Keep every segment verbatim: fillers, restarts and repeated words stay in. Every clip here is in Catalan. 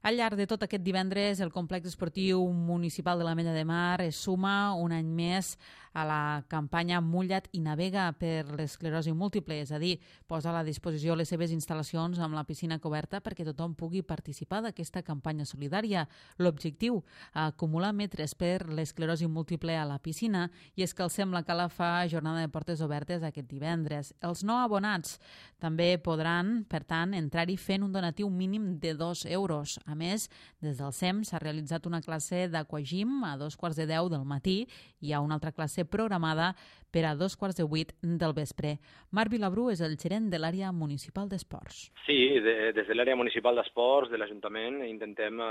Al llarg de tot aquest divendres, el complex esportiu municipal de l'Ametlla de Mar es suma un any més a la campanya Mulla't i navega per l'esclerosi múltiple, és a dir, posa a la disposició les seves instal·lacions amb la piscina coberta perquè tothom pugui participar d'aquesta campanya solidària. L'objectiu, acumular metres per l'esclerosi múltiple a la piscina, i és que el Sembla Cala fa jornada de portes obertes aquest divendres. Els no abonats també podran, per tant, entrar-hi fent un donatiu mínim de dos euros. A més, des del S E M s'ha realitzat una classe d'aquagym a dos quarts de deu del matí i hi ha una altra classe programada per a dos quarts de vuit del vespre. Marc Vilabrú és el gerent de l'àrea municipal d'esports. Sí, de, des de l'àrea municipal d'esports de l'Ajuntament intentem eh,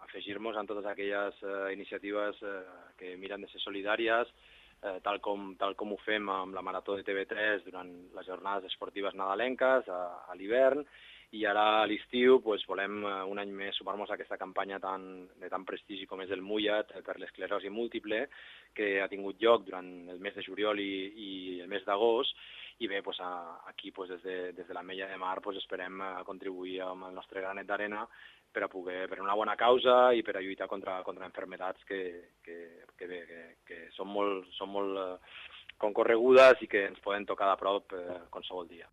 afegir-nos en totes aquelles eh, iniciatives eh, que miren de ser solidàries, eh, tal, com, tal com ho fem amb la Marató de T V tres durant les jornades esportives nadalenques a, a l'hivern. I ara a l'estiu pues, volem un any més sumar-nos a aquesta campanya tan, de tan prestigi com és el Mulla't per l'esclerosi múltiple, que ha tingut lloc durant el mes de juliol i, i el mes d'agost. I bé, pues, aquí pues, des de, des de l'Ametlla de Mar pues, esperem contribuir amb el nostre granet d'arena per a poder, per una bona causa i per a lluitar contra, contra enfermedats que, que, que, bé, que, que són molt, són molt eh, concorregudes i que ens poden tocar de prop eh, qualsevol dia.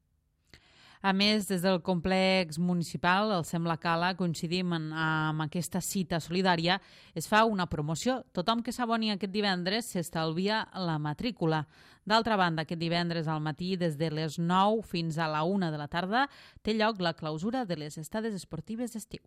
A més, des del complex municipal, el Sembla Cala, coincidim en, amb aquesta cita solidària, es fa una promoció. Tothom que s'aboni aquest divendres s'estalvia la matrícula. D'altra banda, aquest divendres al matí, des de les nou fins a la una de la tarda, té lloc la clausura de les estades esportives d'estiu.